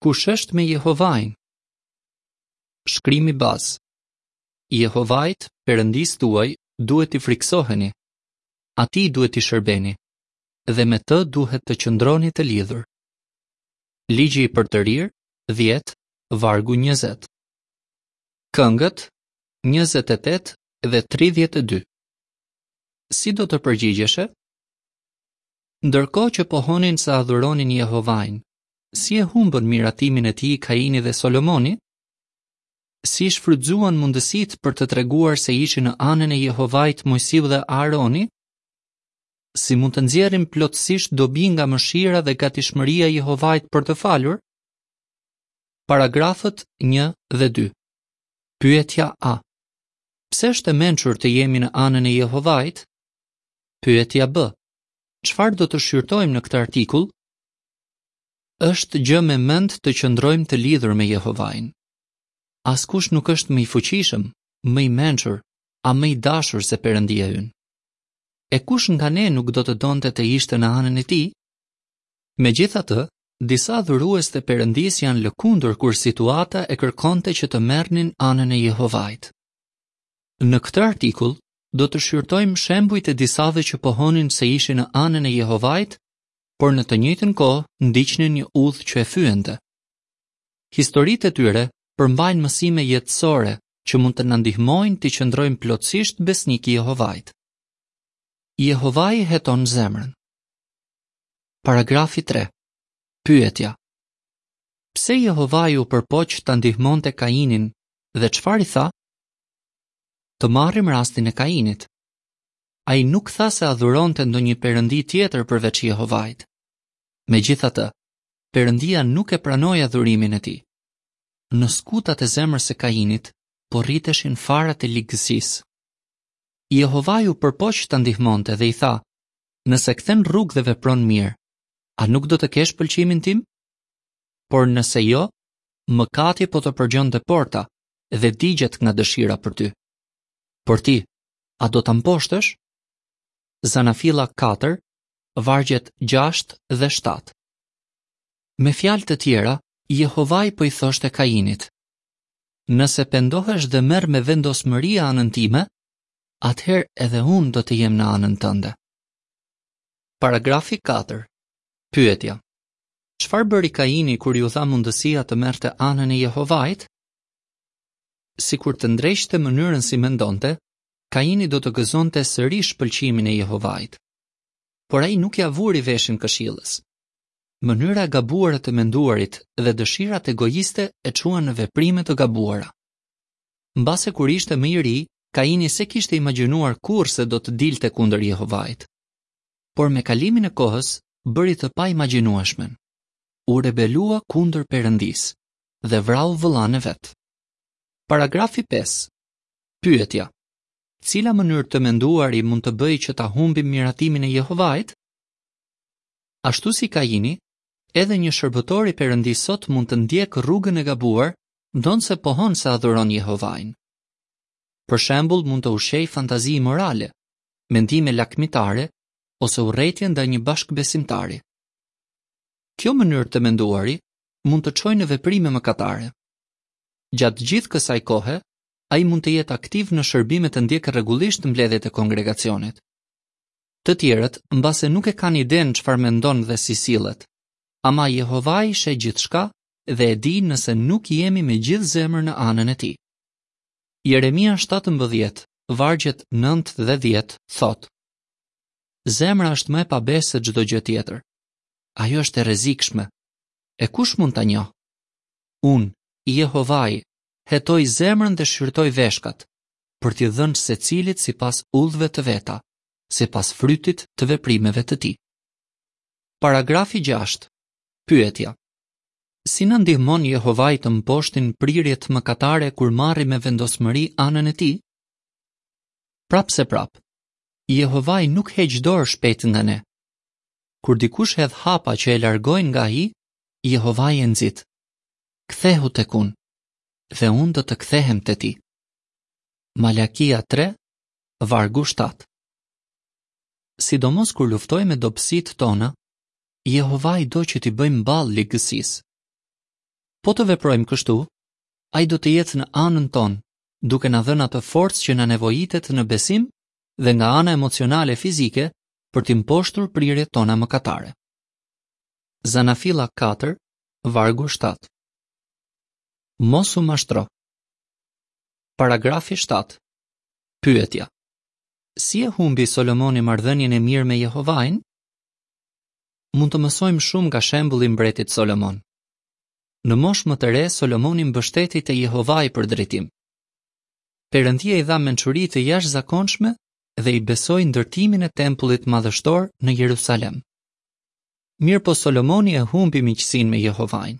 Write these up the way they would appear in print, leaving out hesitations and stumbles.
Kush është me Jehovain? Shkrimi bazë. Jehovait, Perëndisë tuaj, duhet t'i frikësoheni. Atij duhet t'i shërbeni dhe me të duhet të qëndroni të lidhur. Ligji i përtërirë, 10, vargu 20. Këngët, 28 dhe 32. Si do të përgjigjeshe? Ndërkohë që pohonin se adhuronin Jehovain, si e humbën miratimin e tij Kaini dhe Solomoni? Si i shfrytëzuan mundësitë për të treguar se ishin në anën e Jehovait Moisiu dhe Aaroni? Si mund të nxjerrim plotësisht dobi nga mëshira dhe gatishmëria e Jehovait për të falur? Paragrafët 1 dhe 2. Pyetja A. Pse është e mençur të jemi në anën e Jehovait? Pyetja B. Çfarë do të shqyrtojmë në këtë artikull? Është gjë me mend të qëndrojmë të lidhur me Jehovain. Askush nuk është më i fuqishëm, më i mençur, a më i dashur se Perëndia ynë. E kush nga ne nuk do të donte të ishte në anën e tij? Megjithatë, disa adhurues të Perëndisë janë lëkundur kur situata e kërkonte që të merrnin anën e Jehovait. Në këtë artikull do të shqyrtojmë shembujt e disave që pohonin se ishin në anën e Jehovait por në të njëjtën kohë ndiqnin një udhë që e fyente. Historitë e tyre përmbajnë mësime jetësore që mund të na ndihmojnë t'i qëndrojmë plotësisht besnikë Jehovait. Jehovai heton zemrën. Paragrafi 3. Pyetja. Pse Jehovai u përpoq ta ndihmonte Kainin dhe çfarë i tha? Të marrim rastin e Kainit. Ai nuk tha se adhuronte ndonjë perëndi tjetër përveç Jehovait. Megjithatë, Perëndia nuk e pranoi adhurimin e tij. Në skutat e zemrës së Kainit po rriteshin farat e ligësisë. Jehovai u përpoq ta ndihmonte dhe i tha, nëse kthen rrugë dhe vepron mirë, a nuk do të kesh pëlqimin tim? Por nëse jo, mëkati po të përgjon te porta dhe digjet nga dëshira për ty. Por ti, A do ta mposhtësh? Zanafilla 4, vargjet 6 dhe 7. Me fjalë të tjera, Jehovai po i thoshte Kainit: Nëse pendohesh dhe merr me vendosmëri anën time, atëherë edhe unë do të jem në anën tënde. Paragrafi 4. Pyetja. Çfarë bëri Kaini kur iu dha mundësia të merrte anën e Jehovait? Sikur të ndreqte mënyrën si mendonte, Kaini do të gëzonte sërish pëlqimin e Jehovait. Por ai nuk ia vuri veshin këshillës. Mënyra e gabuar e të menduarit dhe dëshirat egoiste e çuan në veprime të gabuara. Mbase kur ishte më i ri, Kaini s'e kishte imagjinuar kurrë se do të dilte kundër Jehovait. Por me kalimin e kohës, bëri të paimagjinueshmen. U rebelua kundër Perëndisë dhe vrau vëllanë e vet. Paragrafi 5. Pyetja. Cila mënyrë të menduari mund të bëjë që ta humbim miratimin e Jehovait? Ashtu si Kaini, edhe një shërbëtor i Perëndisë sot mund të ndjekë rrugën e gabuar, ndonëse pohon se adhuron Jehovain. Për shembull, mund të ushqejë fantazi imorale, mendime lakmitare ose urrejtje ndaj një bashkëbesimtari. Kjo mënyrë të menduari mund të çojë në veprime mëkatare. Gjatë gjithë kësaj kohe, ai mund të jetë aktiv në shërbim e të ndjekë rregullisht mbledhjet e kongregacionit. Të tjerët mbase nuk e kanë idenë çfarë mendon dhe si sillet. Ama Jehovai sheh gjithçka dhe e di nëse nuk jemi me gjithë zemër në anën e tij. Jeremia 17, vargjet 9 dhe 10 thotë: Zemra është më e pabesë se çdo gjë tjetër. Ajo është e rrezikshme. E kush mund ta njohë? Unë, Jehovai, hetoj zemrën dhe shqyrtoj veshkat, për t'i dhënë secilit sipas udhëve të veta, sipas frytit të veprimeve të tij. Paragrafi 6. Pyetja. Si na ndihmon Jehovai të mposhtim prirjet mëkatare kur marrim me vendosmëri anën e tij? Prapëseprapë, Jehovai nuk heq dorë shpejt nga ne. Kur dikush hedh hapa që e largojnë nga ai, Jehovai e nxit. Kthehu tek unë, dhe unë do të kthehem te ti. Malakia 3, vargu 7. Sidomos kur luftojmë me dobësitë tona, Jehovai do që t'i bëjmë ballë ligësisë. Po të veprojmë kështu, ai do të jetë në anën tonë, duke na dhënë atë forcë që na nevojitet në besim dhe nga ana emocionale fizike për t'i mposhtur prirjet tona mëkatare. Zanafilla 4, vargu 7. Mos u mashtro. Paragrafi 7. Pyetja. Si e humbi Solomoni marrëdhënien e mirë me Jehovain? Mund të mësojmë shumë nga shembulli i mbretit Solomon. Në moshë më të re, Solomoni mbështetej te Jehovai për drejtim. Perëndia i dha mençuri të jashtëzakonshme dhe i besoi ndërtimin e tempullit madhështor në Jerusalem. Mirëpo Solomoni e humbi miqësinë me Jehovain.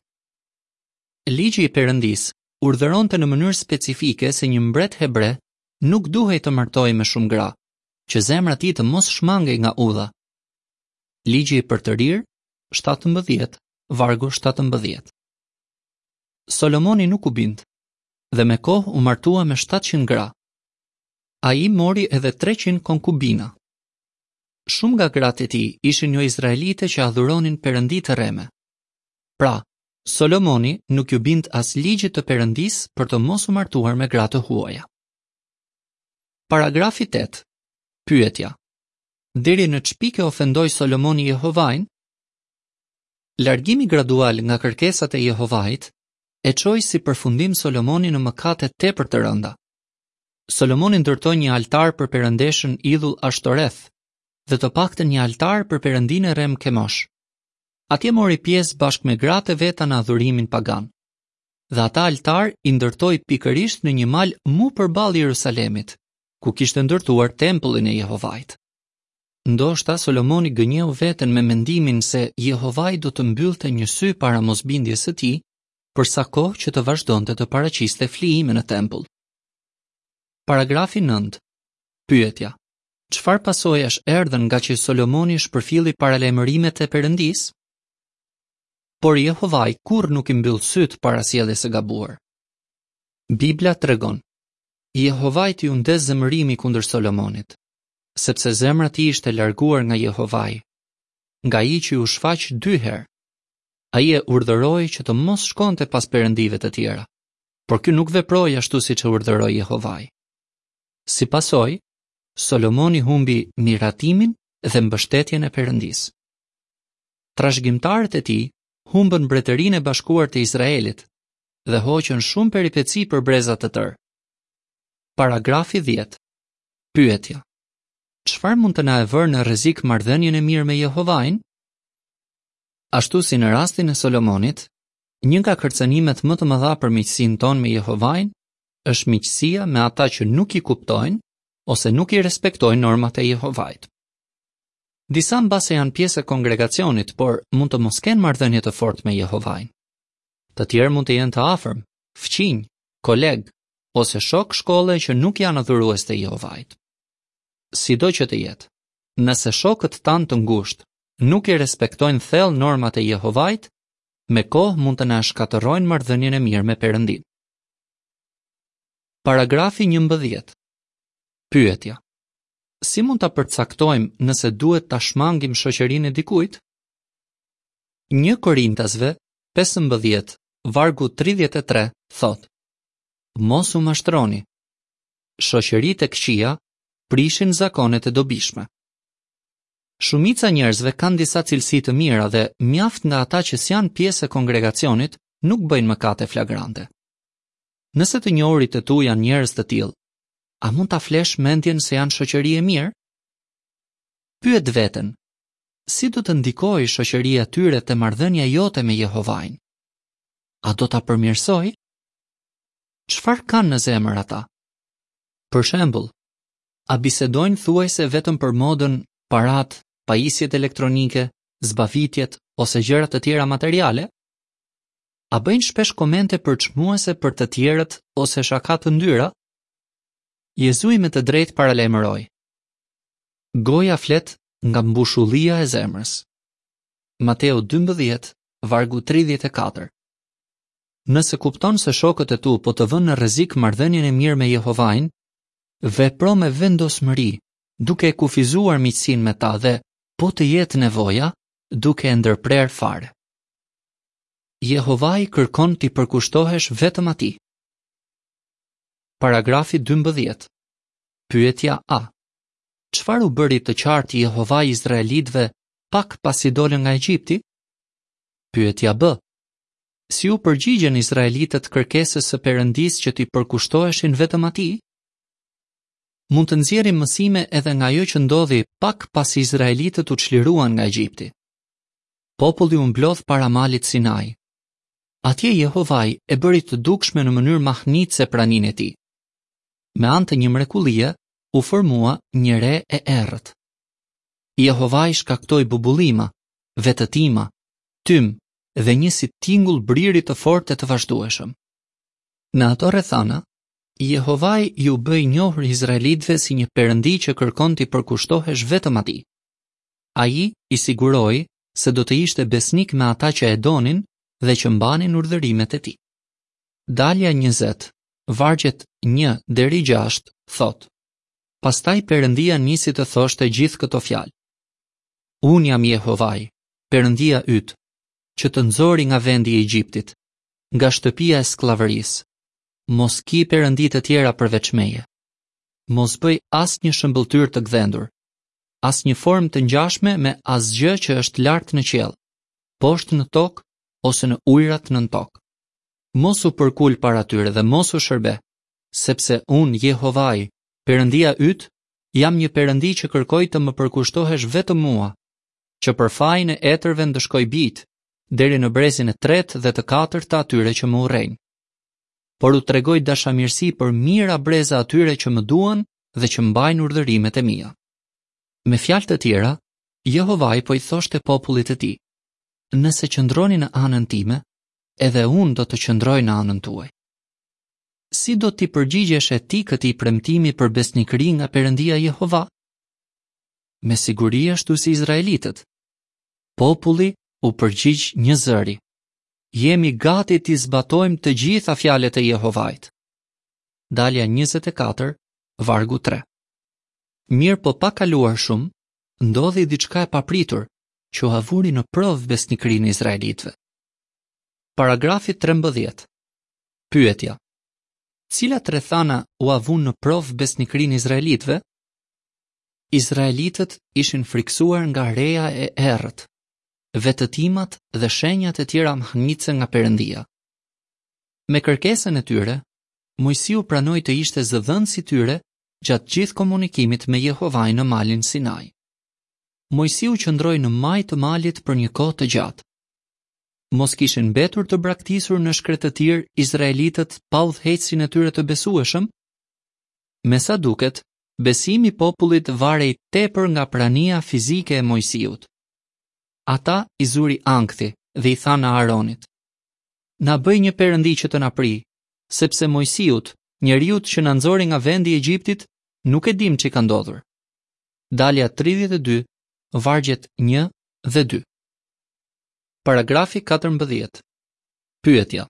Ligji i Perëndisë urdhëronte në mënyrë specifike se një mbret hebre nuk duhej të martohej me shumë gra, që zemra e tij të mos shmangej nga udha. Ligji i Përtërirë, 17, vargu 17. Solomoni nuk u bind dhe me kohë u martua me 700 gra. Ai mori edhe 300 konkubina. Shumë nga gratë e tij ishin joizraelite që adhuronin perëndi të rreme. Pra, Solomoni nuk iu bind as ligjit të Perëndisë për të mos u martuar me gra të huaja. Paragrafi 8. Pyetja. Deri në ç'pikë e ofendoi Solomoni Jehovain? Largimi gradual nga kërkesat e Jehovait e çoi si përfundim Solomonin në mëkate tepër të rënda. Solomoni ndërtoi një altar për perëndeshën idhull Ashtoreth dhe të paktën një altar për perëndinë e rremë Kemosh. Atje mori pjesë bashkë me gratë e veta në adhurimin pagan. Dhe ata altarë i ndërtoi pikërisht në një mal mu përballë Jerusalemit, ku kishte ndërtuar tempullin e Jehovait. Ndoshta Solomoni gënjeu veten me mendimin se Jehovai do të mbyllte një sy para mosbindjes së tij, për sa kohë që të vazhdonte të paraqiste flijime në tempull. Paragrafi 9. Pyetja: Çfarë pasojash erdhën ngaqë Solomoni shpërfilli paralajmërimet e Perëndisë? Por Jehovai kurrë nuk i mbyll sytë para sjelljes së gabuar. Bibla tregon: Jehovait iu ndez zemërimi kundër Solomonit, sepse zemra e tij ishte larguar nga Jehovai, nga ai që iu shfaq dy herë. Ai e urdhëroi që të mos shkonte pas perëndive të tjera, por ky nuk veproi ashtu siç e urdhëroi Jehovai. Si pasojë, Solomoni humbi miratimin dhe mbështetjen e Perëndisë. Trashëgimtarët e tij humbën mbretërinë e bashkuar të Izraelit dhe hoqën shumë peripeci për breza të tërë. Paragrafi 10. Pyetja: Çfarë mund të na e vërë në rrezik marrëdhënien e mirë me Jehovain? Ashtu si në rastin e Solomonit, një nga kërcënimet më të mëdha për miqësinë tonë me Jehovain është miqësia me ata që nuk i kuptojnë ose nuk i respektojnë normat e Jehovait. Disa mbase janë pjesë e kongregacionit, por mund të mos kenë marrëdhënie të fortë me Jehovain. Të tjerë mund të jenë të afërm, fqinj, kolegë ose shokë shkolle që nuk janë adhurues të Jehovait. Sido që të jetë, nëse shokët tanë të ngushtë nuk i respektojnë thellë normat e Jehovait, me kohë mund të na shkatërrojnë marrëdhënien e mirë me Perëndinë. Paragrafi 11. Pyetja. Si mund ta përcaktojmë nëse duhet ta shmangim shoqërinë e dikujt? 1 Korintasve 15, vargu 33 thotë: Mos u mashtroni. Shoqëritë e këqija prishin zakonet e dobishme. Shumica e njerëzve kanë disa cilësi të mira dhe mjaft nga ata që s'janë pjesë e kongregacionit nuk bëjnë mëkate flagrante. Nëse të njohurit e tu janë njerëz të tillë, a mund ta flesh mendjen se janë shoqëri e mirë? Pyet veten, si do të ndikojë shoqëria e tyre te marrëdhënia jote me Jehovain? A do ta përmirësojë? Çfarë kanë në zemër ata? Për shembull, a bisedojnë thuajse vetëm për modën, paratë, pajisjet elektronike, zbavitjet ose gjëra të tjera materiale? A bëjnë shpesh komente përçmuese për të tjerët ose shaka të ndyra? Jezui me të drejtë paralajmëroi. Goja flet nga mbushullia e zemrës. Mateu 12, vargu 34. Nëse kupton se shokët e tu po të vënë në rrezik marrëdhënien e mirë me Jehovain, vepro me vendosmëri, duke e kufizuar miqësinë me ta dhe, po të jetë nevoja, duke e ndërprerë fare. Jehovai kërkon t'i përkushtohesh vetëm atij. Paragrafi 12. Pyetja A. Çfarë u bëri të qartë Jehovai izraelitëve pak pasi dolën nga Egjipti? Pyetja B. Si iu përgjigjën izraelitët kërkesës së Perëndisë që t'i përkushtoheshin vetëm atij? Mund të nxjerrim mësime edhe nga ajo që ndodhi pak pasi izraelitët u çliruan nga Egjipti. Populli u mblodh para malit Sinai. Atje Jehovai e bëri të dukshme në mënyrë mahnitëse praninë e tij. Me anë të një mrekullie u formua një re e errët. Jehovai shkaktoi bubullima, vetëtima, tym dhe një si tingull briri të fortë e të vazhdueshëm. Në ato rrethana, Jehovai iu bë i njohur izraelitëve si një perëndi që kërkon t'i përkushtohesh vetëm atij. Ai i siguroi se do të ishte besnik me ata që e donin dhe që mbanin urdhërimet e tij. Dalja 20, vargjet 1 deri 6 thotë: Pastaj Perëndia nisi të thoshte gjithë këto fjalë. Unë jam Jehovai, Perëndia yt, që të nxori nga vendi i Egjiptit, nga shtëpia e skllavërisë. Mos ki perëndi të tjera përveç meje. Mos bëj asnjë shëmbëlltyrë të gdhendur, asnjë formë të ngjashme me asgjë që është lart në qiell, poshtë në tokë ose në ujërat nën tokë. Mos u përkul para tyre dhe mos u shërbe, sepse unë, Jehovai, Perëndia yt, jam një Perëndi që kërkoj të më përkushtohesh vetëm mua, që për fajin e etërve ndëshkoj bijtë, deri në brezin e tretë dhe të katërt të atyre që më urrejnë. Por u tregoj dashamirësi për mijëra breza atyre që më duan dhe që mbajnë urdhërimet e mia. Me fjalë të tjera, Jehovai po i thoshte popullit të tij: Nëse qëndroni në anën time, edhe unë do të qëndroj në anën tuaj. Si do t'i përgjigjeshe ti këtij premtimi për besnikëri nga Perëndia Jehova? Me siguri ashtu si izraelitët. Populli u përgjigj njëzëri. Jemi gati t'i zbatojmë të gjitha fjalët e Jehovait. Dalja 24, vargu 3. Mirëpo pa kaluar shumë, ndodhi diçka e papritur që ua vuri në provë besnikërinë izraelitëve. Paragrafi 13. Pyetja. Cilat rrethana ua vunë në provë besnikërinë izraelitëve? Izraelitët ishin frikësuar nga reja e errët, vetëtimat dhe shenjat e tjera mahnitëse nga Perëndia. Me kërkesën e tyre, Moisiu pranoi të ishte zëdhënës i tyre gjatë gjithë komunikimit me Jehovain në malin Sinai. Moisiu qëndroi në majë të malit për një kohë të gjatë. Mos kishin mbetur të braktisur në shkretëtirë izraelitët pa udhëheqësin e tyre të besueshëm? Me sa duket, besimi i popullit varej tepër nga prania fizike e Moisiut. Ata i zuri ankthi dhe i thanë Aaronit: Na bëj një perëndi që të na prijë, sepse Moisiut, njeriut që na nxori nga vendi i Egjiptit, nuk e dimë ç'i ka ndodhur. Dalja 32, vargjet 1 dhe 2. Paragrafi 14. Pyetja.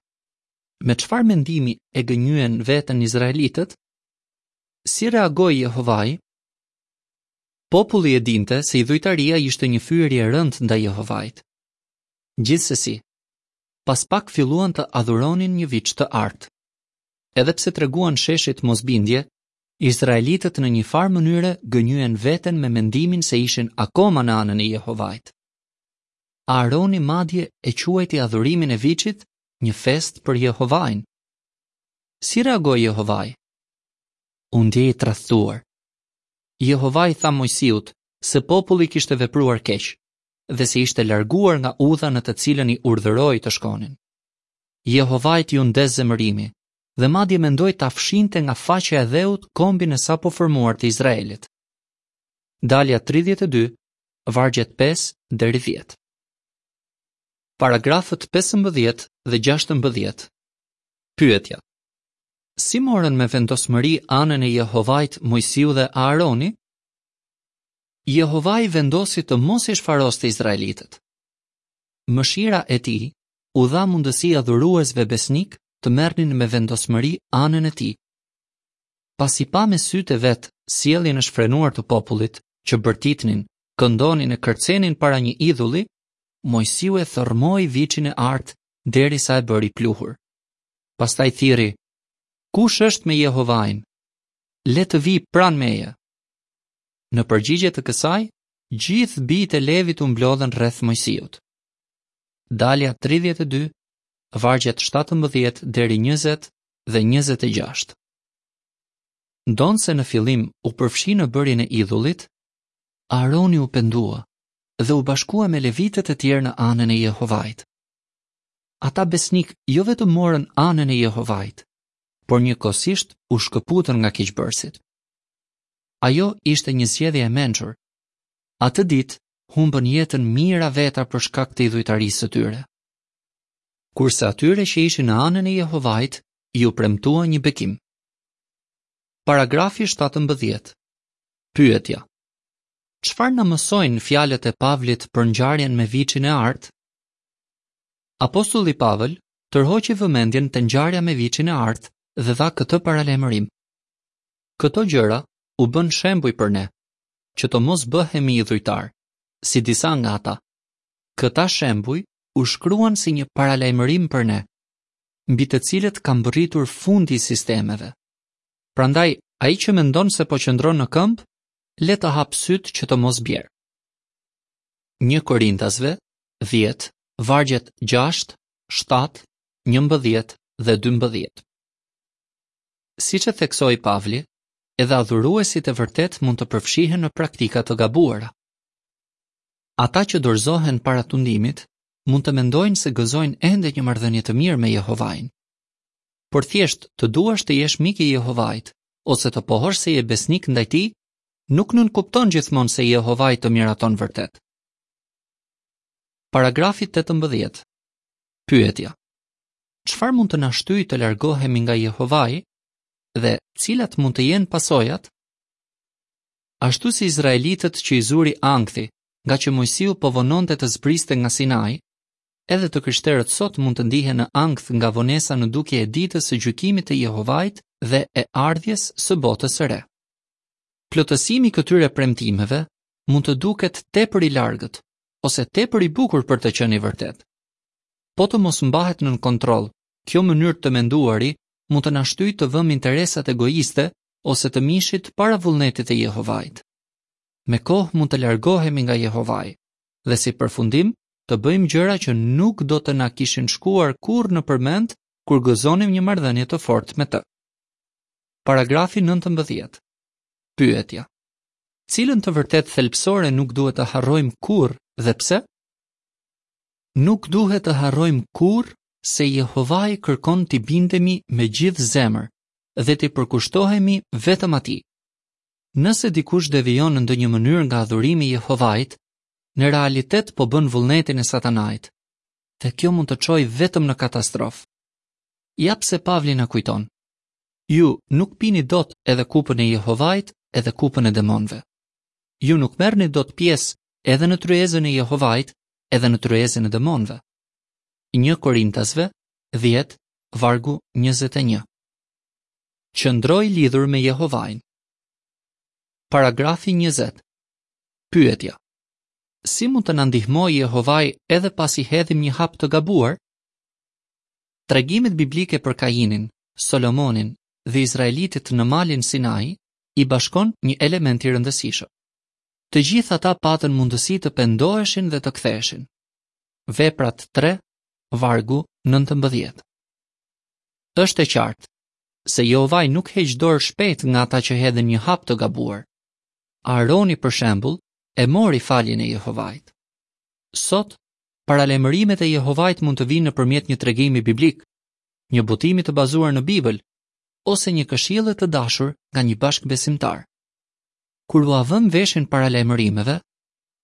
Me çfarë mendimi e gënjyen veten izraelitët? Si reagoi Jehovai? Populli e dinte se idhujtaria ishte një fyerje e rëndë ndaj Jehovait. Gjithsesi, pas pak filluan të adhuronin një viç të artë. Edhe pse treguan sheshit mosbindje, izraelitët në një farë mënyre gënjyen veten me mendimin se ishin akoma në anën e Jehovait. Aaroni madje e quajti adhurimin e viçit një festë për Jehovain. Si reagoi Jehovai? U ndje i tradhtuar. Jehovai i tha Moisiut se populli kishte vepruar keq dhe se ishte larguar nga udha në të cilën i urdhëroi të shkonin. Jehovait iu ndez zemërimi dhe madje mendoi ta fshinte nga faqja e dheut kombin e sapoformuar të Izraelit. Dalja 32, vargjet 5 deri 10. Paragrafët 15 dhe 16. Pyetja. Si morën me vendosmëri anën e Jehovait Moisiu dhe Aaroni? Jehovai vendosi të mos i shfaroste izraelitët. Mëshira e tij u dha mundësi adhuruesve besnikë të merrnin me vendosmëri anën e tij. Pasi pa me sytë e vet sjelljen e shfrenuar të popullit, që bërtitnin, këndonin e kërcenin para një idhulli, Moisiu e thërrmoi viçin e artë. derisa e bëri pluhur. Pastaj thirri, Kush është me Jehovain? Le të vijë pranë meje. Në përgjigje të kësaj, gjithë bijtë e Levit u mblodhën rreth Moisiut. Dalja 32, vargjet 17 deri 20 dhe 26. Ndonëse në fillim u përfshi në bërjen e idhullit, Aroni u pendua dhe u bashkua me levitët e tjerë në anën e Jehovait. Ata besnikë jo vetëm morën anën e Jehovait, por njëkohësisht u shkëputën nga keqbërësit. Ajo ishte një zgjedhje e mençur. Atë ditë humbën jetën mijëra veta për shkak të idhujtarisë së tyre. Kurse atyre që ishin në anën e Jehovait iu premtua një bekim. Paragrafi 17. Pyetja. Çfarë na mësojnë fjalët e Pavlit për ngjarjen me viçin e artë? Apostulli Pavël tërhoqi vëmendjen te ngjarja me viçin e artë dhe dha këtë paralajmërim. Këto gjëra u bënë shembuj për ne, që të mos bëhemi idhujtarë, si disa nga ata. Këta shembuj u shkruan si një paralajmërim për ne, mbi të cilët ka mbërritur fundi i sistemeve. Prandaj, ai që mendon se po qëndron në këmbë, le të hapë sytë që të mos bjerë. 1 Korintasve 10, vargjet 6, 7, 11 dhe 12. Siç e theksoi Pavli, edhe adhuruesit e vërtetë mund të përfshihen në praktika të gabuara. Ata që dorëzohen para tundimit mund të mendojnë se gëzojnë ende një marrëdhënie të mirë me Jehovain. Por thjesht të duash të jesh mik i Jehovait ose të pohosh se je besnik ndaj tij, nuk nënkupton gjithmonë se Jehovai të miraton vërtet. Paragrafi 18. Pyetja. Çfarë mund të na shtyjë të largohemi nga Jehovai dhe cilat mund të jenë pasojat? Ashtu si izraelitët që i zuri ankthi, ngaqë Moisiu po vononte të zbriste nga Sinai, edhe të krishterët sot mund të ndihen në ankth nga vonesa në dukje e ditës së gjykimit të Jehovait dhe e ardhjes së botës së re. Plotësimi i këtyre premtimeve mund të duket tepër i largët ose tepër i bukur për të qenë i vërtetë. Po të mos mbahet nën kontroll, kjo mënyrë të menduari mund të na shtyjë të vëmë interesat egoiste ose të mishit para vullnetit të Jehovait. Me kohë mund të largohemi nga Jehovai dhe si përfundim të bëjmë gjëra që nuk do të na kishin shkuar kurrë nëpër mend kur gëzonim një marrëdhënie të fortë me të. Paragrafi 19. Pyetja. Cilën të vërtetë thelbësore nuk duhet të harrojmë kurrë dhe pse? Nuk duhet të harrojmë kurrë se Jehovai kërkon t'i bindemi me gjithë zemër dhe t'i përkushtohemi vetëm atij. Nëse dikush devijon në ndonjë mënyrë nga adhurimi i Jehovait, në realitet po bën vullnetin e Satanait. Dhe kjo mund të çojë vetëm në katastrofë. Ja pse Pavli na kujton. Ju nuk pini dot edhe kupën e Jehovait edhe kupën e demonëve. Ju nuk merrni dot pjesë edhe në tryezën e Jehovait edhe në tryezën e demonëve. 1 Korintasve 10, vargu 21. Qëndro i lidhur me Jehovain. Paragrafi 20. Pyetja. Si mund të na ndihmojë Jehovai edhe pasi hedhim një hap të gabuar? Tregimet biblike për Kainin, Solomonin dhe izraelitët në malin Sinai i bashkon një element i rëndësishëm. Të gjithë ata patën mundësi të pendoheshin dhe të ktheheshin. Veprat 3, vargu 19. Është e qartë se Jehovai nuk heq dorë shpejt nga ata që hedhin një hap të gabuar. Aroni për shembull e mori faljen e Jehovait. Sot, paralajmërimet e Jehovait mund të vijnë nëpërmjet një tregimi biblik, një botimi të bazuar në Bibël ose një këshille të dashur nga një bashkëbesimtar. Kur ua vëmë veshin paralajmërimeve,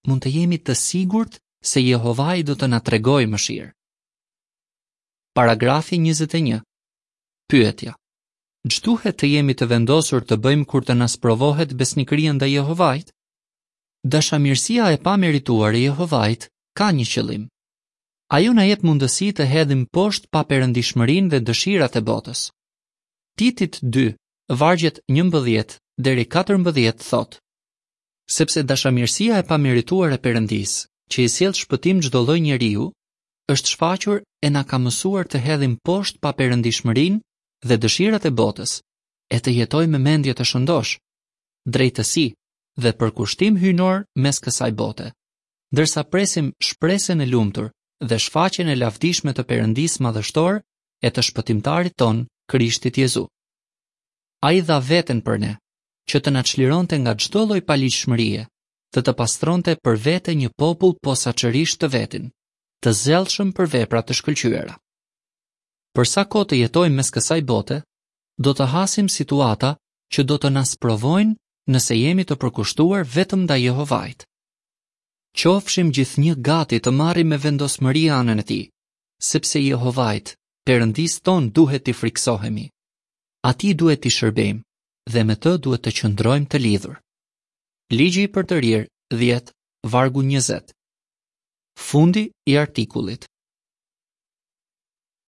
mund të jemi të sigurt se Jehovai do të na tregojë mëshirë. Paragrafi 21. Pyetja. Ç'duhet të jemi të vendosur të bëjmë kur të na sprovohet besnikëria ndaj Jehovait? Dashamirësia e pamerituar e Jehovait ka një qëllim. Ajo na jep mundësi të hedhim poshtë paperëndishmërinë dhe dëshirat e botës. Titit 2, vargjet 11 deri 14 thotë: Sepse dashamirësia e pamerituar e Perëndisë, që i sjell shpëtim çdo lloj njeriu, është shfaqur e na ka mësuar të hedhim poshtë paperëndishmërinë dhe dëshirat e botës, e të jetojmë me mendje të shëndoshë, drejtësi dhe përkushtim hyjnor mes kësaj bote, ndërsa presim shpresën e lumtur dhe shfaqjen e lavdishme të Perëndisë madhështor e të Shpëtimtarit tonë, Krishtit Jezu. Ai dha veten për ne, që të na çlironte nga çdo lloj paligjshmërie dhe të pastronte për vete një popull posaçërisht të vetin, të zellshëm për vepra të shkëlqyera. Për sa kohë të jetojmë mes kësaj bote, do të hasim situata që do të na sprovojnë nëse jemi të përkushtuar vetëm ndaj Jehovait. Qofshim gjithnjë gati të marrim me vendosmëri anën e tij, sepse Jehovait, Perëndisë tonë duhet t'i frikësohemi. Atij duhet t'i shërbejmë dhe me të duhet të qëndrojmë të lidhur. Ligji i Përtërirë 10, vargu 20. Fundi i artikullit.